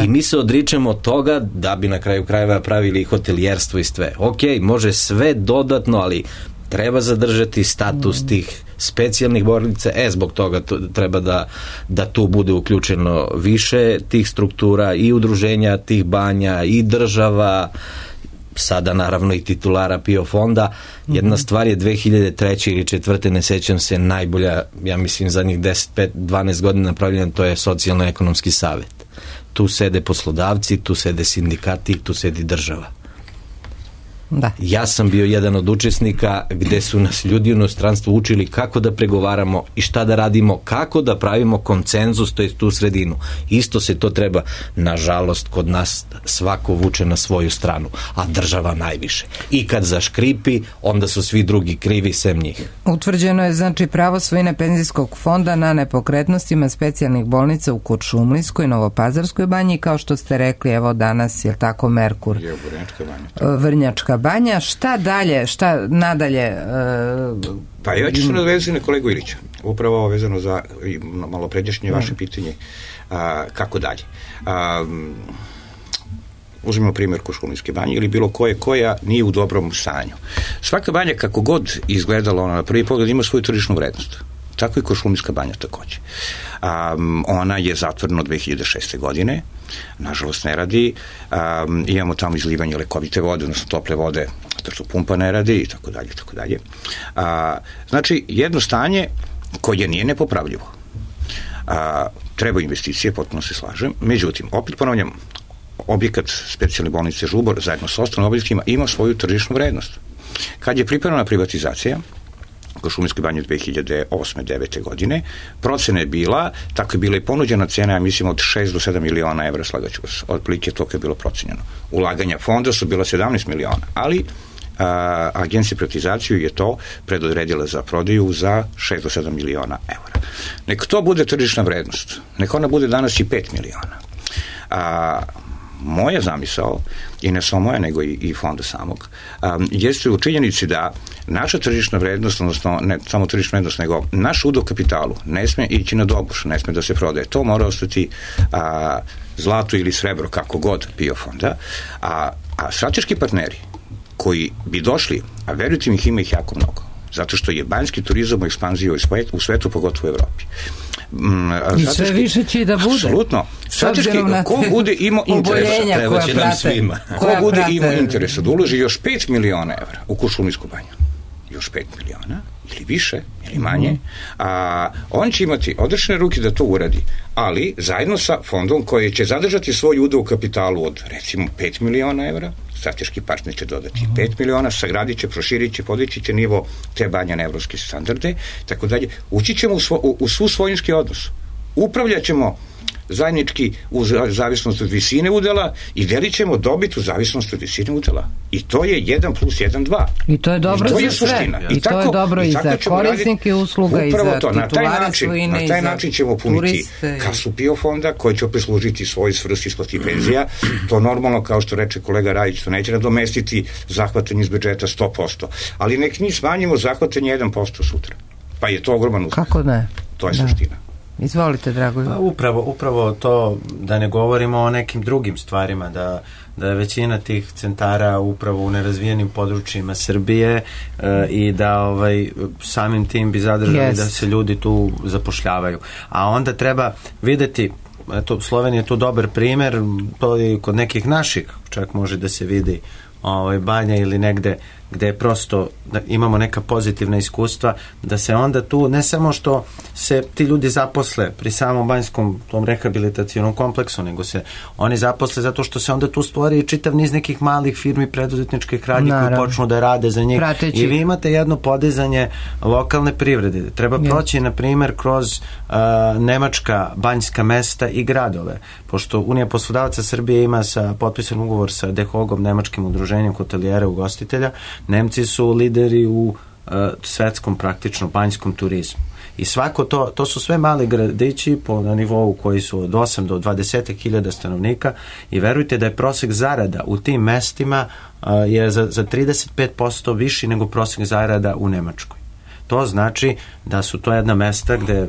I mi se odričemo od toga da bi na kraju krajeva pravili hotelijerstvo i sve. Ok, može sve dodatno, ali treba zadržati status tih specijalnih bolnica, zbog toga treba da tu bude uključeno više tih struktura i udruženja tih banja i država, sada naravno i titulara PIO fonda. Jedna stvar je 2003. ili 2004. ne sećam se, najbolja, ja mislim zadnjih 10-12 godina napravljena, to je socijalno-ekonomski savet. Tu sede poslodavci, tu sede sindikati, tu sedi država. Da. Ja sam bio jedan od učesnika gde su nas ljudi u inostranstvu učili kako da pregovaramo i šta da radimo, kako da pravimo konsenzus, to je tu sredinu. Isto se to treba, nažalost, kod nas svako vuče na svoju stranu, a država najviše. I kad zaškripi, onda su svi drugi krivi sem njih. Utvrđeno je znači pravo svojine penzijskog fonda na nepokretnostima specijalnih bolnica u Kuršumlijskoj, Novopazarskoj banji, kao što ste rekli, evo danas je tako Merkur, Vrnjačka banja. Šta dalje, šta nadalje? Pa ja ću se nadvezati na kolegu Ilića, upravo vezano za malo pređašnje vaše pitanje, kako dalje. Uzmemo primjer Kuršumlijske banje ili bilo koja nije u dobrom stanju. Svaka banja, kako god izgledala ona na prvi pogled, ima svoju tržišnu vrednost. Tako i Kuršumlijska banja takođe. Ona je zatvorena od 2006. godine, nažalost ne radi, imamo tamo izlivanje lekovite vode, odnosno tople vode, to što pumpa ne radi i tako dalje, tako dalje. Znači, jedno stanje koje nije nepopravljivo. Treba investicije, potpuno se slažem, međutim, opet ponavljam, objekat specijalne bolnice Žubor zajedno sa ostalim objektima ima svoju tržišnu vrednost. Kad je pripremljena privatizacija Kuršumlijskoj banji 2008-2009. godine, procena je bila, tako je bila i ponuđena cena, ja mislim, od 6 do 7 miliona evra, slagaću vas, otprilike toliko je bilo procenjeno. Ulaganja fonda su bila 17 miliona, ali agencija privatizaciju je to predodredila za prodaju za 6 do 7 miliona evra. Nek to bude tržišna vrednost, nek ona bude danas i 5 miliona. Moja zamisao, i ne samo moja, nego i fonda samog, jeste u činjenici da naša tržišna vrednost, odnosno ne samo tržišna vrednost, nego naš udeo kapitalu ne sme ići na dobuš, ne sme da se prodaje. To mora ostati zlato ili srebro, kako god, PIO fonda, A strateški partneri koji bi došli, a verujte mi, ima ih jako mnogo, zato što je banjski turizam u ekspanziji u svetu, pogotovo u Evropi. I sve više će i da bude. Apsolutno. Strateški, ko bude imao interesa, ko bude imao interesa da uloži još 5 miliona evra u Kuršumlijsku banju, još 5 miliona, ili više, ili manje, on će imati odrešene ruke da to uradi, ali zajedno sa fondom koji će zadržati svoj udeo u kapitalu od, recimo, 5 miliona evra, strateški partner će dodati 5 miliona, sagradit će, proširit će, podići će nivo te banje na evropske standarde, tako dalje. Ući ćemo u svu svojinski odnos. Upravljat ćemo zajednički u zavisnosti od visine udela i delit ćemo dobit u zavisnosti od visine udela. I to je 1+1=2. I to je dobro za sve. I to je dobro i za korisnike usluga i za titulare svojine. Na taj način ćemo puniti kasu PIO fonda koji će opet služiti svoj svrsi isplati penzija. To normalno, kao što reče kolega Rajić, to neće nadomestiti zahvatanje iz budžeta 100%. Ali nek mi smanjimo zahvatanje 1% sutra. Pa je to ogroman uspeh. Kako ne? To je suština. Izvolite, Dragoljub. Pa upravo to, da ne govorimo o nekim drugim stvarima, da je većina tih centara upravo u nerazvijenim područjima Srbije i da samim tim bi zadržali da se ljudi tu zapošljavaju. A onda treba videti, eto, Slovenija je tu dobar primer, to je kod nekih naših, čak može da se vidi banja ili negde gde je prosto da imamo neka pozitivna iskustva, da se onda tu ne samo što se ti ljudi zaposle pri samom banjskom tom rehabilitacionom kompleksu, nego se oni zaposle zato što se onda tu stvori čitav niz nekih malih firmi preduzetničkih radnji koji počnu da rade za njih. I vi imate jedno podizanje lokalne privrede. Treba proći, na primjer, kroz nemačka banjska mesta i gradove. Pošto Unija poslodavaca Srbije ima potpisan ugovor sa DEHOG-om, nemačkim udruženjem hotelijera i ugostitelja. Nemci su lideri u svetskom praktično banjskom turizmu. I svako to su sve mali gradići na nivou koji su od 8 do 20.000 stanovnika i verujte da je prosek zarada u tim mestima je za 35% viši nego prosek zarada u Nemačkoj. To znači da su to jedna mesta gde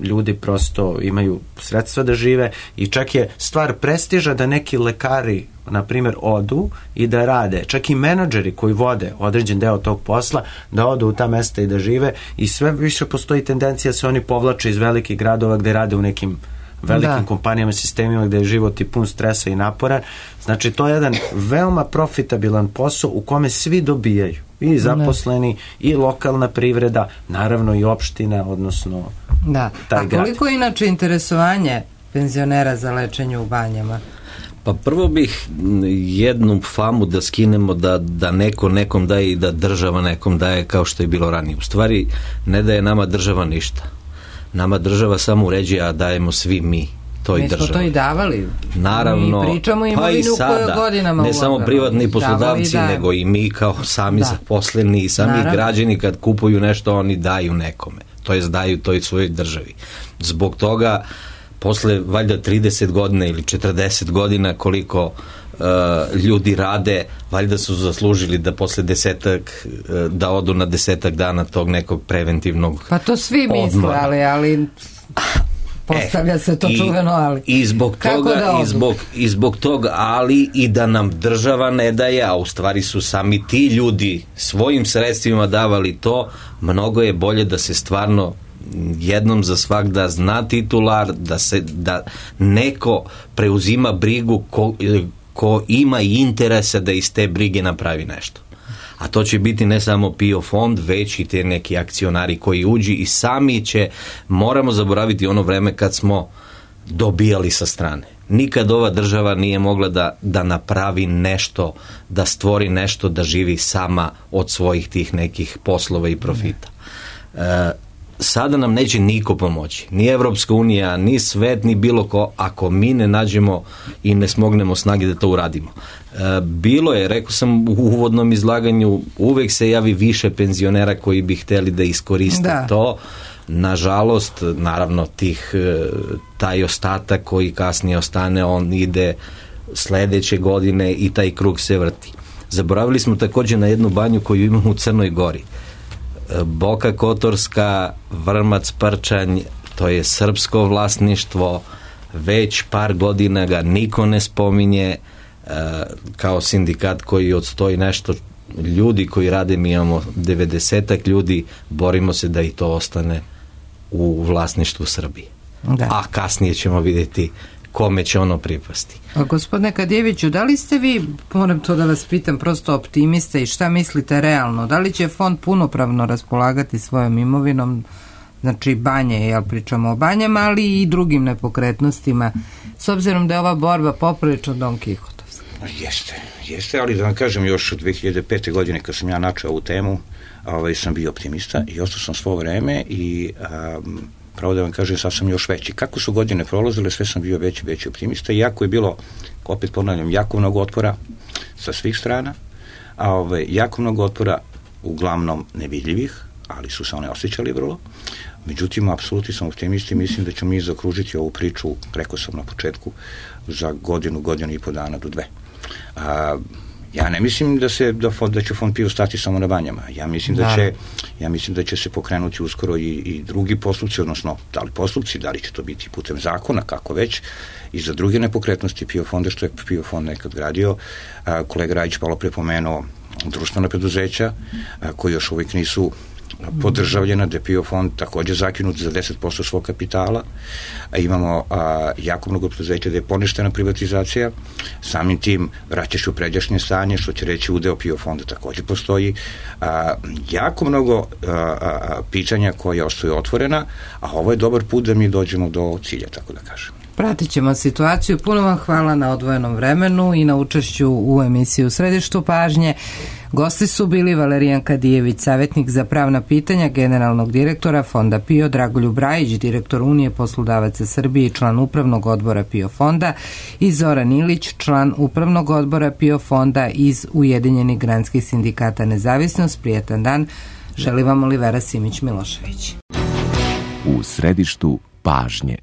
ljudi prosto imaju sredstva da žive i čak je stvar prestiža da neki lekari, na primjer, odu i da rade, čak i menadžeri koji vode određen deo tog posla, da odu u ta mesta i da žive i sve više postoji tendencija da se oni povlače iz velikih gradova gde rade u nekim velikim kompanijama, sistemima gde je život i pun stresa i naporan. Znači, to je jedan veoma profitabilan posao u kome svi dobijaju. I zaposleni, i lokalna privreda, naravno i opština, odnosno taj grad. A koliko je inače interesovanje penzionera za lečenje u banjama? Pa prvo bih jednu famu da skinemo da neko nekom daje i da država nekom daje kao što je bilo ranije. U stvari, ne daje nama država ništa. Nama država samo uređuje, a dajemo svi mi. Mi smo to i davali. Naravno, mi pričamo imovinu koja godinama ne samo privatni poslodavci, nego i mi kao sami zaposleni i sami građani kad kupuju nešto, oni daju nekome. To jest daju toj svojoj državi. Zbog toga, posle valjda 30 godina ili 40 godina koliko ljudi rade, valjda su zaslužili da posle da odu na 10 dana tog nekog preventivnog pa to svi misle, ali postavlja se to čuveno, ali i zbog toga, ali i da nam država ne daje, a u stvari su sami ti ljudi svojim sredstvima davali to, mnogo je bolje da se stvarno jednom za svak da zna titular, da neko preuzima brigu ko ima i interesa da iz te brige napravi nešto. A to će biti ne samo PIO fond, već i te neki akcionari koji uđi i sami moramo zaboraviti ono vreme kad smo dobijali sa strane. Nikad ova država nije mogla da napravi nešto, da stvori nešto, da živi sama od svojih tih nekih poslova i profita. Sada nam neće niko pomoći, ni Evropska unija, ni svet, ni bilo ko, ako mi ne nađemo i ne smognemo snage da to uradimo. Bilo je, rekao sam u uvodnom izlaganju, uvek se javi više penzionera koji bi hteli da iskoriste to. Nažalost, naravno, taj ostatak koji kasnije ostane, on ide sledeće godine i taj krug se vrti. Zaboravili smo također na jednu banju koju imamo u Crnoj Gori. Boka Kotorska, Vrmac, Prčanj, to je srpsko vlasništvo, već par godina ga niko ne spominje, kao sindikat koji odstoji nešto ljudi koji rade, mi imamo 90-ak ljudi, borimo se da i to ostane u vlasništvu Srbije. Da. A kasnije ćemo vidjeti kome će ono pripasti. A gospodine Kadijeviću, da li ste vi, moram to da vas pitam, prosto optimista i šta mislite realno? Da li će fond punopravno raspolagati svojom imovinom, znači banje, jel pričamo o banjama, ali i drugim nepokretnostima, s obzirom da je ova borba poprilično Don Kihotovska? Jeste, ali da vam kažem, još od 2005. godine kad sam ja načeo ovu temu, sam bio optimista i ostao sam svo vreme i pravo da vam kažem, sad sam još veći. Kako su godine prolazile, sve sam bio veći optimista, iako je bilo, opet ponavljam, jako mnogo otpora sa svih strana, jako mnogo otpora, uglavnom nevidljivih, ali su se one osjećali vrlo. Međutim, apsolutno sam optimist i mislim da ćemo mi zaokružiti ovu priču, rekao sam na početku, za godinu i po dana do 2. Ja ne mislim da će fond PIO stati samo na banjama. Ja mislim da će se pokrenuti uskoro i drugi postupci, odnosno da li će to biti putem zakona, kako već, i za druge nepokretnosti PIO fonda, što je PIO fond nekad gradio. Kolega Rajić malo prepomenuo društvena preduzeća koji još uvijek nisu podržavljena, da je PIO fond također zakinut za 10% svog kapitala. Imamo jako mnogo preduzeća da je poništena privatizacija, samim tim vraćaš u pređašnje stanje, što će reći udeo PIO fonda također postoji. Jako mnogo pitanja koja ostaju otvorena, a ovo je dobar put da mi dođemo do cilja, tako da kažem. Pratit ćemo situaciju. Puno vam hvala na odvojenom vremenu i na učešću u emisiji U središtu pažnje. Gosti su bili Valerijan Kadijević, savjetnik za pravna pitanja generalnog direktora Fonda PIO, Dragoljub Rajić, direktor Unije poslodavaca Srbije i član upravnog odbora PIO fonda, i Zoran Ilić, član upravnog odbora PIO fonda iz Ujedinjenih granskih sindikata Nezavisnost. Prijatan dan. Želi vam Olivera Simić Milošević. U središtu pažnje.